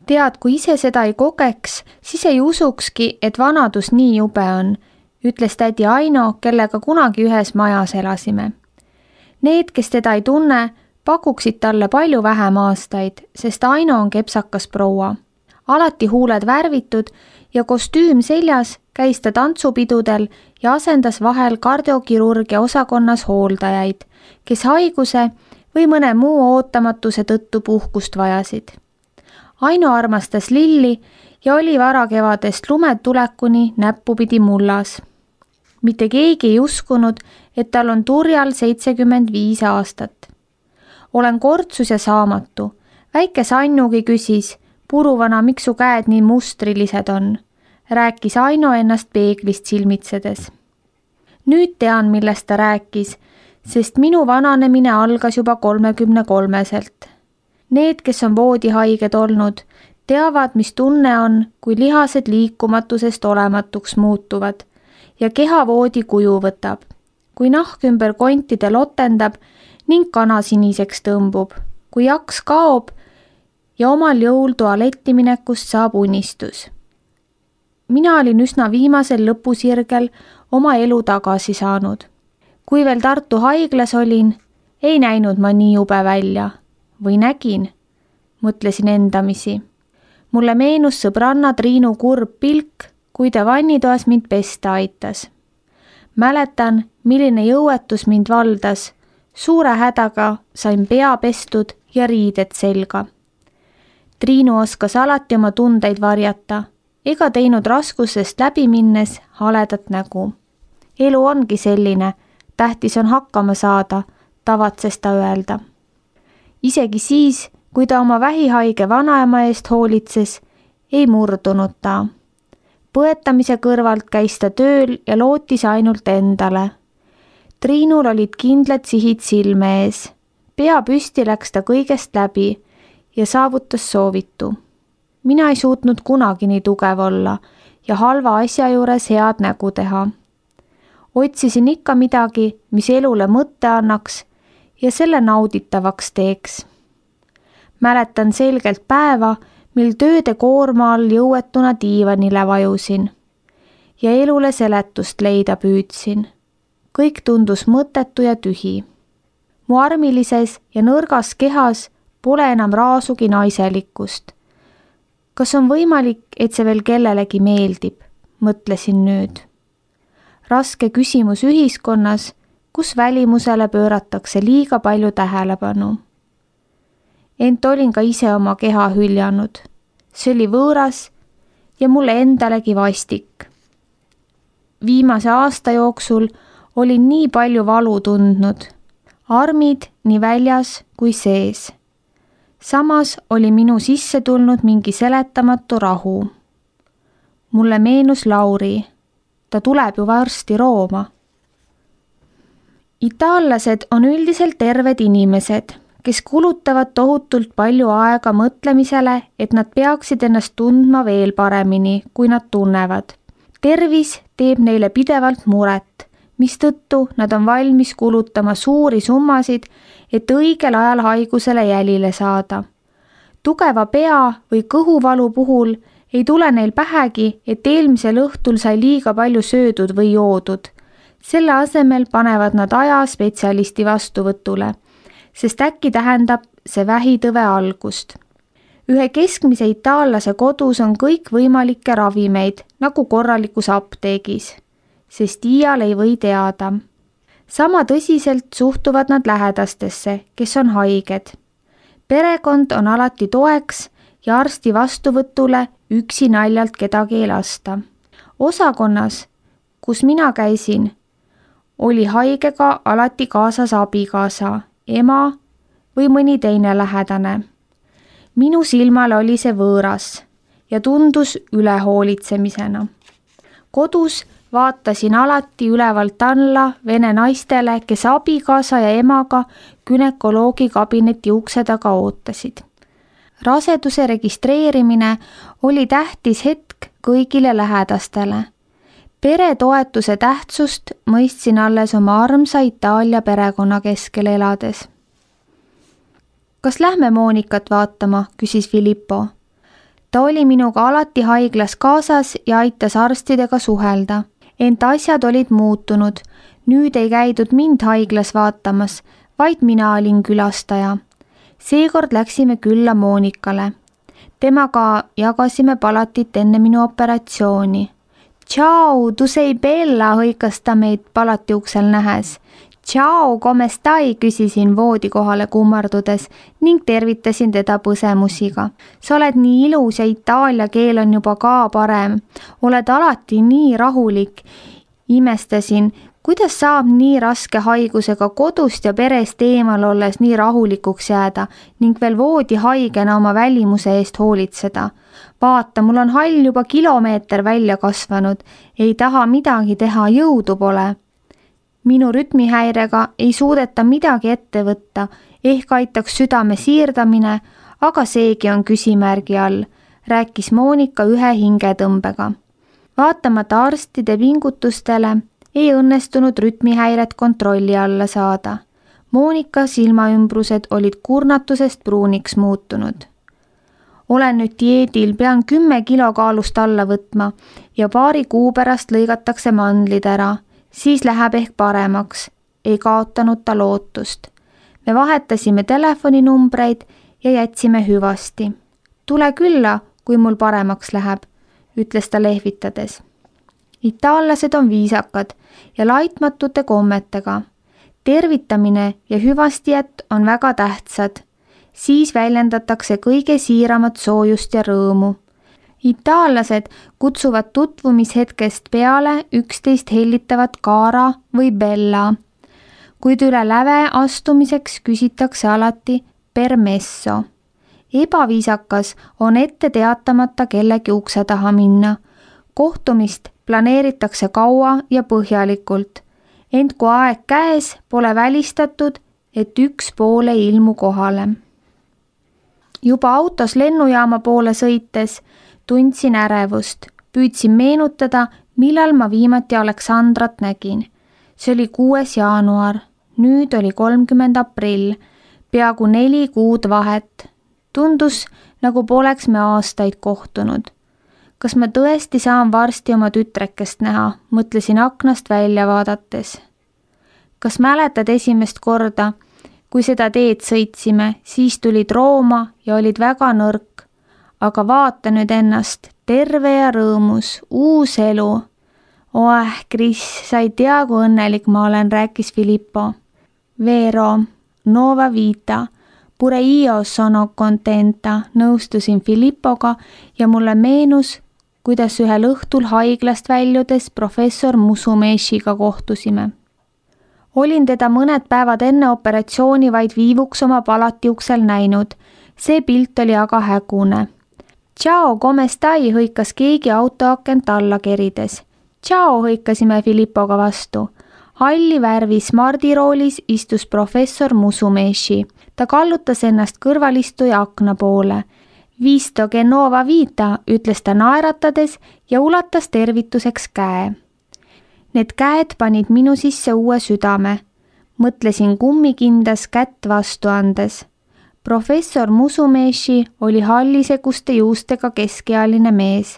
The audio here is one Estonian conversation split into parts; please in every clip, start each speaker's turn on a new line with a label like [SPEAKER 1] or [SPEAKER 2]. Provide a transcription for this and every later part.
[SPEAKER 1] Tead, kui ise seda ei kogeks, siis ei usukski, et vanadus nii jube on, ütles tädi Aino, kellega kunagi ühes majas elasime. Need, kes teda ei tunne, pakuksid talle palju vähem aastaid, sest Aino on kepsakas proua. Alati huuled värvitud ja kostüüm seljas käis ta tantsupidudel ja asendas vahel kardiokirurgia osakonnas hooldajaid, kes haiguse või mõne muu ootamatuse tõttu puhkust vajasid. Aino armastas lilli ja oli varakevadest lumetulekuni näppupidi mullas. Mitte keegi ei uskunud, et tal on turjal 75 aastat. Olen kortsus ja saamatu. Väike Sannugi küsis, puruvana, miks su käed nii mustrilised on, rääkis Aino ennast peeglist silmitsedes. Nüüd tean, millest ta rääkis, sest minu vananemine algas juba 33-selt. Need, kes on voodihaiged olnud, teavad, mis tunne on, kui lihased liikumatusest olematuks muutuvad ja kehavoodi kuju võtab, kui nahk ümber kontide lotendab ning kana siniseks tõmbub, kui jaks kaob ja omal jõul tualetti minekust saab unistus. Mina olin üsna viimasel lõpusirgel oma elu tagasi saanud. Kui veel Tartu haiglas olin, ei näinud ma nii jube välja. Või nägin, mõtlesin endamisi. Mulle meenus sõbranna Triinu kurb pilk, kui ta vannitoas mind pesta aitas. Mäletan, milline jõuetus mind valdas. Suure hädaga sain pea pestud ja riided selga. Triinu oskas alati oma tundeid varjata, ega teinud raskusest läbi minnes haledat nägu. Elu ongi selline, tähtis on hakkama saada, tavatses ta öelda. Isegi siis, kui ta oma vähihaige vanaema eest hoolitses, ei murdunud ta. Põetamise kõrvalt käis ta tööl ja lootis ainult endale. Triinul olid kindlad sihid silme ees. Pea püsti läks ta kõigest läbi ja saavutas soovitu. Mina ei suutnud kunagi nii tugev olla ja halva asja juures head nägu teha. Otsisin ikka midagi, mis elule mõtte annaks ja selle nauditavaks teeks. Mäletan selgelt päeva, mil tööde koorma all jõuetuna diivanile vajusin ja elule seletust leida püüdsin. Kõik tundus mõttetu ja tühi. Mu armilises ja nõrgas kehas pole enam raasugi naiselikkust. Kas on võimalik, et see veel kellelegi meeldib, mõtlesin nüüd. Raske küsimus ühiskonnas, kus välimusele pööratakse liiga palju tähelepanu. Ent olin ka ise oma keha hüljanud. See oli võõras ja mulle endalegi vastik. Viimase aasta jooksul olin nii palju valu tundnud. Armid nii väljas kui sees. Samas oli minu sisse tulnud mingi seletamatu rahu. Mulle meenus Lauri. Ta tuleb ju varsti Rooma. Itaallased on üldiselt terved inimesed, kes kulutavad tohutult palju aega mõtlemisele, et nad peaksid ennast tundma veel paremini, kui nad tunnevad. Tervis teeb neile pidevalt muret, mistõttu nad on valmis kulutama suuri summasid, et õigel ajal haigusele jälile saada. Tugeva pea või kõhuvalu puhul ei tule neil pähegi, et eelmisel õhtul sai liiga palju söödud või joodud. Selle asemel panevad nad aja spetsialisti vastuvõtule, sest äkki tähendab see vähitõve algust. Ühe keskmise itaallase kodus on kõik võimalikke ravimeid, nagu korralikus apteegis, sest iial ei või teada. Sama tõsiselt suhtuvad nad lähedastesse, kes on haiged. Perekond on alati toeks ja arsti vastuvõtule üksi naljalt kedagi ei lasta. Osakonnas, kus mina käisin, oli haigega alati kaasas abikaasa, ema või mõni teine lähedane. Minu silmale oli see võõras ja tundus ülehoolitsemisena. Kodus vaatasin alati ülevalt alla vene naistele, kes abikaasa ja emaga günekoloogi kabineti ukse taga ootasid. Raseduse registreerimine oli tähtis hetk kõigile lähedastele. Peretoetuse tähtsust mõistsin alles oma armsa Itaalia perekonna keskel elades. Kas lähme Moonikat vaatama, küsis Filippo. Ta oli minuga alati haiglas kaasas ja aitas arstidega suhelda. Ent asjad olid muutunud. Nüüd ei käidud mind haiglas vaatamas, vaid mina olin külastaja. Seekord läksime külla Monikale. Temaga jagasime palatit enne minu operatsiooni. Ciao, tu sei bella, hõikas ta meid palati uksel nähes. Ciao, come stai, küsisin voodi kohale kummardudes ning tervitasin teda põsemusiga. Sa oled nii ilus ja itaalia keel on juba ka parem. Oled alati nii rahulik. Imestasin, kuidas saab nii raske haigusega kodust ja perest eemal olles nii rahulikuks jääda ning veel voodi haigena oma välimuse eest hoolitseda. Vaata, mul on hall juba kilomeeter välja kasvanud. Ei taha midagi teha, jõudu pole. Minu rütmihäirega ei suudeta midagi ette võtta, ehk aitaks südame siirdamine, aga seegi on küsimärgi all, rääkis Monika ühe hingetõmbega. Vaatamata arstide pingutustele ei õnnestunud rütmihäiret kontrolli alla saada. Monika silmaümbrused olid kurnatusest pruuniks muutunud. Olen nüüd dieedil, pean 10 kilo kaalust alla võtma ja paari kuu pärast lõigatakse mandlid ära. Siis läheb ehk paremaks, ei kaotanud ta lootust. Me vahetasime telefoninumbreid ja jätsime hüvasti. Tule külla, kui mul paremaks läheb, ütles ta lehvitades. Itaallased on viisakad ja laitmatute kommetega. Tervitamine ja hüvastijät on väga tähtsad. Siis väljendatakse kõige siiramat soojust ja rõõmu. Itaallased kutsuvad tutvumishetkest peale üksteist hellitavat Cara või Bella, kuid üle läve astumiseks küsitakse alati permesso. Ebaviisakas on ette teatamata kellegi ukse taha minna. Kohtumist planeeritakse kaua ja põhjalikult, ent kui aeg käes, pole välistatud, et üks pool ei ilmu kohale. Juba autos lennujaama poole sõites tundsin ärevust, püüdsin meenutada, millal ma viimati Aleksandrat nägin. See oli 6. jaanuar, nüüd oli 30. aprill, peaaegu 4 kuud vahet. Tundus, nagu poleks me aastaid kohtunud. Kas ma tõesti saan varsti oma tütrekest näha, mõtlesin aknast välja vaadates. Kas mäletad esimest korda, kui seda teed sõitsime, siis tulid Rooma ja olid väga nõrk. Aga vaata nüüd ennast, terve ja rõõmus, uus elu. Chris, sa ei tea, kui õnnelik ma olen, rääkis Filippo. Vero, nuova vita, pure io sono contenta, nõustusin Filippoga ja mulle meenus, kuidas ühel õhtul haiglast väljudes professor Musumeshiga kohtusime. Olin teda mõned päevad enne operatsiooni vaid viivuks oma palati uksel näinud. See pilt oli aga hägune. Ciao, come stai, hõikas keegi autoakent alla kerides. Ciao, hõikasime Filippoga vastu. Halli värvi smardiroolis istus professor Musumeshi. Ta kallutas ennast kõrvalistuja akna poole. Visto che nuova vita, ütles ta naeratades ja ulatas tervituseks käe. Need käed panid minu sisse uue südame. Mõtlesin kummikindas kätt vastu andes. Professor Musumeshi oli halliseguste juustega keskealine mees.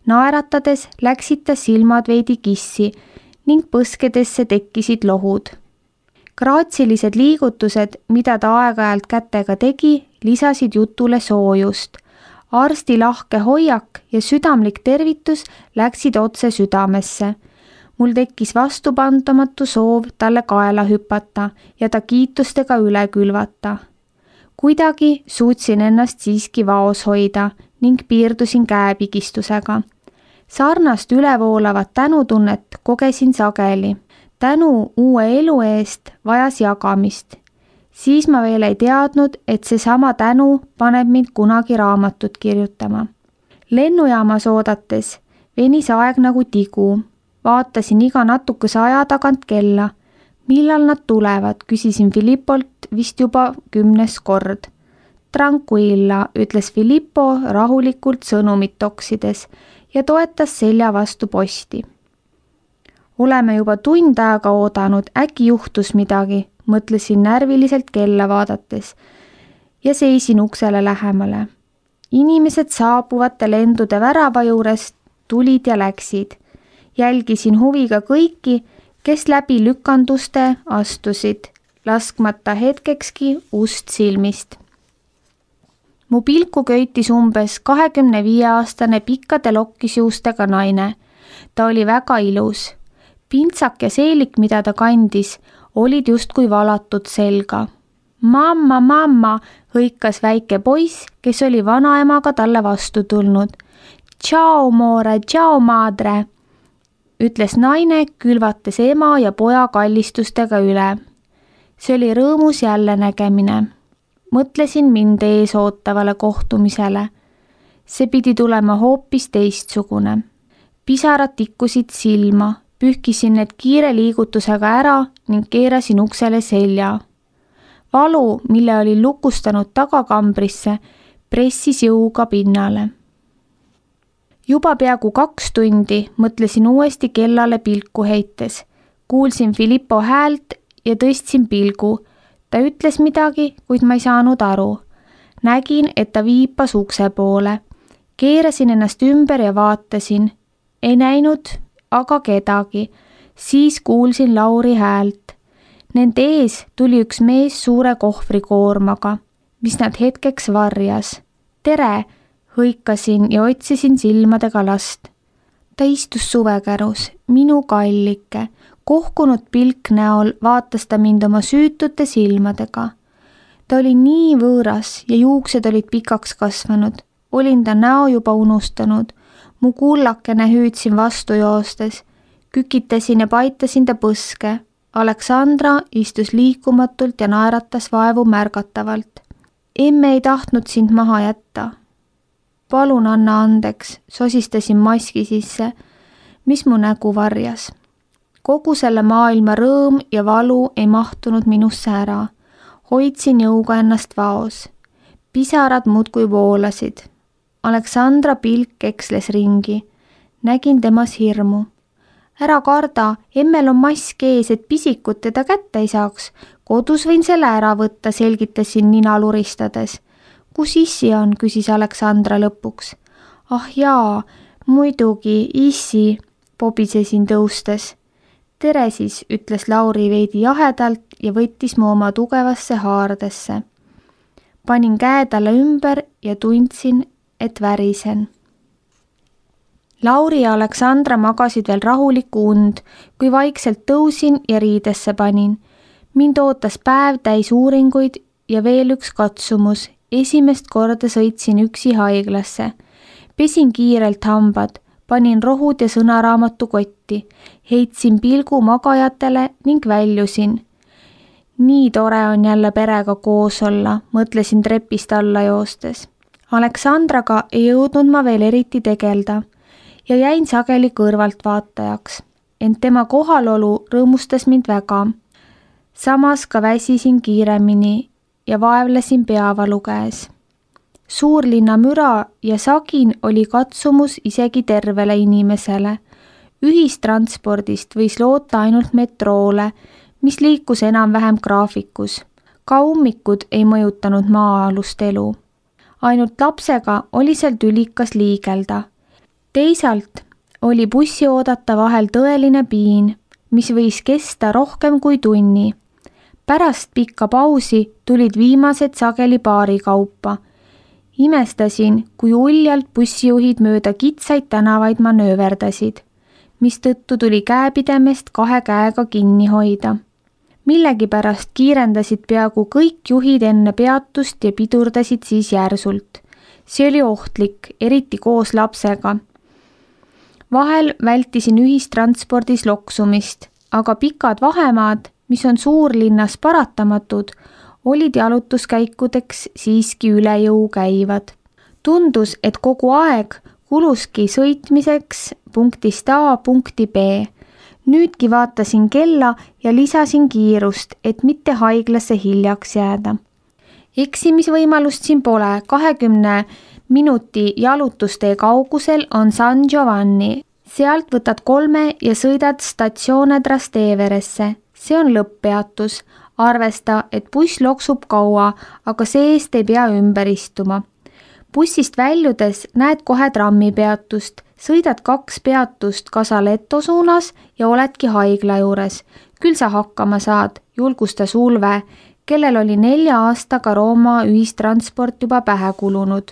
[SPEAKER 1] Naeratades läksid ta silmad veidi kissi ning põskedesse tekkisid lohud. Graatsilised liigutused, mida ta aeg-ajalt kätega tegi, lisasid jutule soojust. Arsti lahke hoiak ja südamlik tervitus läksid otse südamesse. Mul tekkis vastupandamatu soov talle kaela hüpata ja ta kiitustega üle külvata. Kuidagi suutsin ennast siiski vaos hoida ning piirdusin käepigistusega. Sarnast ülevoolavat tänutunnet kogesin sageli. Tänu uue elu eest vajas jagamist. Siis ma veel ei teadnud, et seesama tänu paneb mind kunagi raamatut kirjutama. Lennujaamas oodates venis aeg nagu tigu. Vaatasin iga natukese aja tagant kella. Millal nad tulevad, küsisin Filippolt vist juba 10. kord. Tranquilla, ütles Filippo rahulikult sõnumit toksides ja toetas selja vastu posti. Oleme juba tund aega oodanud, äkki juhtus midagi, mõtlesin närviliselt kella vaadates ja seisin uksele lähemale. inimesed saabuvate lendude värava juurest tulid ja läksid. Jälgisin huviga kõiki, kes läbi lükanduste astusid, laskmata hetkekski ust silmist. Mu pilku köitis umbes 25-aastane pikkade lokkisjuustega naine. Ta oli väga ilus. Pintsak ja seelik, mida ta kandis, olid justkui valatud selga. Mamma, mamma, hõikas väike poiss, kes oli vanaemaga talle vastu tulnud. Ciao, more, ciao, madre, ütles naine, külvates ema ja poja kallistustega üle. See oli rõõmus jälle nägemine. Mõtlesin mind ees ootavale kohtumisele. See pidi tulema hoopis teistsugune. Pisarad tikkusid silma, pühkisin need kiire liigutusega ära ning keerasin uksele selja. Valu, mille olin lukustanud tagakambrisse, pressis jõuga pinnale. Juba peaaegu 2 tundi mõtlesin uuesti kellale pilku heites. Kuulsin Filippo häält ja tõstsin pilgu. Ta ütles midagi, kuid ma ei saanud aru. Nägin, et ta viipas ukse poole. Keerasin ennast ümber ja vaatasin. Ei näinud aga kedagi. Siis kuulsin Lauri häält. Nende ees tuli üks mees suure kohvrikoormaga, mis nad hetkeks varjas. Tere, hõikasin ja otsisin silmadega last. Ta istus suvekärus, minu kallike. Kohkunud pilk näol vaatas ta mind oma süütute silmadega. Ta oli nii võõras ja juuksed olid pikaks kasvanud. Olin ta näo juba unustanud. Mu kullakene hüüdsin vastu joostes. Kükitasin ja paitasin ta põske. Aleksandra istus liikumatult ja naeratas vaevu märgatavalt. Emme ei tahtnud sind maha jätta. Palun anna andeks, sosistasin maski sisse, mis mu nägu varjas. Kogu selle maailma rõõm ja valu ei mahtunud minusse ära. Hoidsin jõuga ennast vaos. Pisarad muudkui voolasid. Aleksandra pilk eksles ringi. Nägin temas hirmu. Ära karda, emmel on mask ees, et pisikud teda kätte ei saaks. Kodus võin selle ära võtta, selgitasin nina luristades. Kus issi on, küsis Aleksandra lõpuks. Ah jaa, muidugi, issi, pobisesin tõustes. Tere siis, ütles Lauri veidi jahedalt ja võttis mu oma tugevasse haardesse. Panin käe talle ümber ja tundsin, et värisen. Lauri ja Aleksandra magasid veel rahulikku und, kui vaikselt tõusin ja riidesse panin. Mind ootas päev täis uuringuid ja veel üks katsumus. Esimest korda sõitsin üksi haiglasse. Pesin kiirelt hambad. Panin rohud ja sõnaraamatu kotti, heitsin pilgu magajatele ning väljusin. Nii tore on jälle perega koos olla, mõtlesin trepist alla joostes. Aleksandraga ei jõudnud ma veel eriti tegelda ja jäin sageli kõrvaltvaatajaks, ent tema kohalolu rõõmustas mind väga. Samas ka väsisin kiiremini ja vaevlesin peavalu käes. Suurlinna müra ja sagin oli katsumus isegi tervele inimesele. Ühistranspordist võis loota ainult metroole, mis liikus enam-vähem graafikus. Ka ummikud ei mõjutanud maa-alust elu. Ainult lapsega oli seal tülikas liigelda. Teisalt oli bussi oodata vahel tõeline piin, mis võis kesta rohkem kui tunni. Pärast pikka pausi tulid viimased sageli paari kaupa. Imestasin, kui uljalt bussijuhid mööda kitsaid tänavaid manööverdasid, mis tõttu tuli käepidemest 2 käega kinni hoida. Millegipärast kiirendasid peaaegu kõik juhid enne peatust ja pidurdasid siis järsult. See oli ohtlik, eriti koos lapsega. Vahel vältisin ühistranspordis loksumist, aga pikad vahemaad, mis on suurlinnas paratamatud, olid jalutuskäikudeks siiski üle jõu käivad. Tundus, et kogu aeg kuluski sõitmiseks punktist A punkti B. Nüüdki vaatasin kella ja lisasin kiirust, et mitte haiglasse hiljaks jääda. Eksimisvõimalust siin pole, 20 minuti jalutustee kaugusel on San Giovanni. Sealt võtad 3 ja sõidad Stazione Trasteveresse. See on lõpppeatus. Arvesta, et buss loksub kaua, aga see-eest ei pea ümber istuma. Bussist väljudes näed kohe trammipeatust, sõidad 2 peatust Casaletto suunas ja oledki haigla juures. Küll sa hakkama saad, julgustas Ulve, kellel oli 4 aastaga Rooma ühistransport juba pähe kulunud.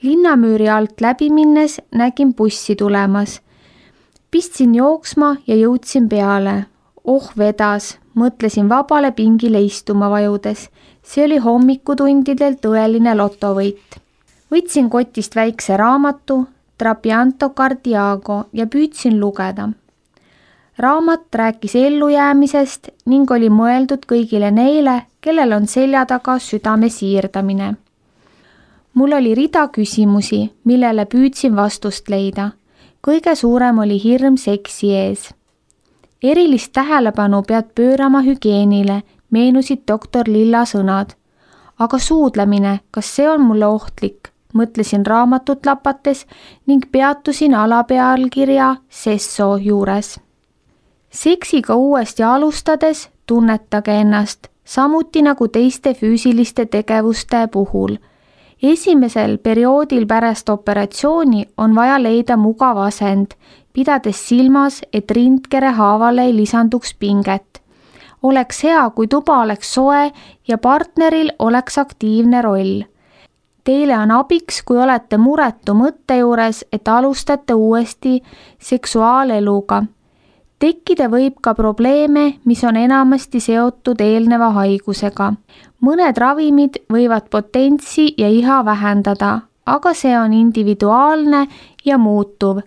[SPEAKER 1] Linnamüüri alt läbi minnes nägin bussi tulemas. Pistsin jooksma ja jõudsin peale. Vedas, mõtlesin vabale pingile istuma vajudes. See oli hommikutundidel tõeline lotovõit. Võtsin kotist väikse raamatu, Trapianto Cardiago ja püüdsin lugeda. Raamat rääkis ellujäämisest ning oli mõeldud kõigile neile, kellel on selja taga südame siirdamine. Mul oli rida küsimusi, millele püüdsin vastust leida. Kõige suurem oli hirm seksi ees. Erilist tähelepanu pead pöörama hügieenile, meenusid doktor Lilla sõnad. Aga suudlemine, kas see on mulle ohtlik? Mõtlesin raamatut lapates ning peatusin alapealkirja Sesso juures. Seksiga uuesti alustades tunnetage ennast, samuti nagu teiste füüsiliste tegevuste puhul. Esimesel perioodil pärast operatsiooni on vaja leida mugav asend, pidades silmas, et rindkere haavale ei lisanduks pinget. Oleks hea, kui tuba oleks soe ja partneril oleks aktiivne roll. Teile on abiks, kui olete muretu mõtte juures, et alustate uuesti seksuaaleluga. Tekkida võib ka probleeme, mis on enamasti seotud eelneva haigusega. Mõned ravimid võivad potentsi ja iha vähendada, aga see on individuaalne ja muutuv.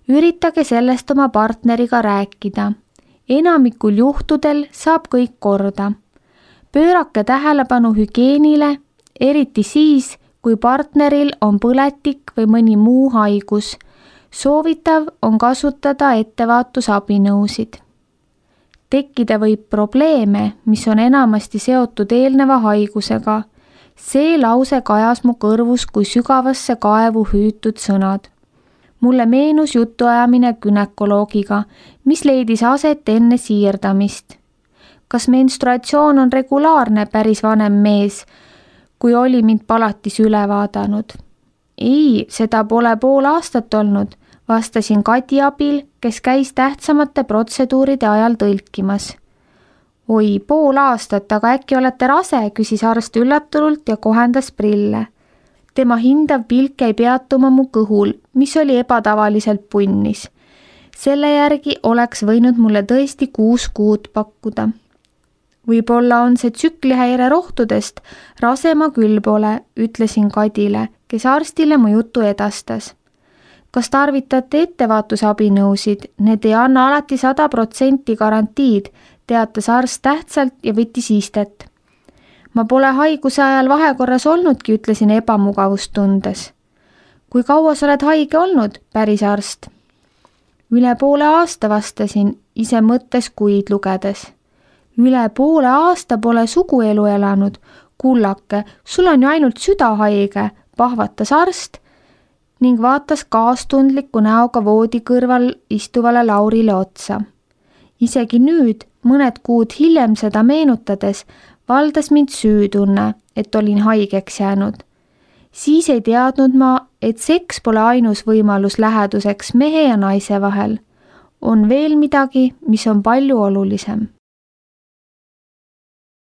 [SPEAKER 1] Üritage sellest oma partneriga rääkida. Enamikul juhtudel saab kõik korda. Pöörake tähelepanu hügieenile, eriti siis, kui partneril on põletik või mõni muu haigus. Soovitav on kasutada ettevaatusabinõusid. Tekkida võib probleeme, mis on enamasti seotud eelneva haigusega. See lause kajas mu kõrvus kui sügavasse kaevu hüütud sõnad. Mulle meenus jutuajamine günekoloogiga, mis leidis aset enne siirdamist. Kas menstruatsioon on regulaarne, päris vanem mees, kui oli mind palatis üle vaadanud? Ei, seda pole pool aastat olnud, vastasin Kadi abil, kes käis tähtsamate protseduuride ajal tõlkimas. Oi, pool aastat, aga äkki olete rase, küsis arst üllatunult ja kohendas prille. Tema hindav pilk jäi peatuma mu kõhul, mis oli ebatavaliselt punnis. Selle järgi oleks võinud mulle tõesti 6 kuud pakkuda. Võib-olla on see tsüklihäire rohtudest, rase ma küll pole, ütlesin Kadile, kes arstile mu jutu edastas. Kas tarvitate ettevaatusabinõusid? Need ei anna alati 100% garantiid, teatas arst tähtsalt ja võttis istet. Ma pole haiguse ajal vahekorras olnudki, ütlesin ebamugavust tundes. Kui kaua sa oled haige olnud, päris arst? Üle poole aasta, vastasin, ise mõttes kuid lugedes. Üle poole aasta pole suguelu elanud. Kullake, sul on ju ainult süda haige, pahvatas arst ning vaatas kaastundliku näoga voodi kõrval istuvale Laurile otsa. Isegi nüüd, mõned kuud hiljem seda meenutades, valdas mind süütunne, et olin haigeks jäänud. Siis ei teadnud ma, et seks pole ainus võimalus läheduseks mehe ja naise vahel. On veel midagi, mis on palju olulisem.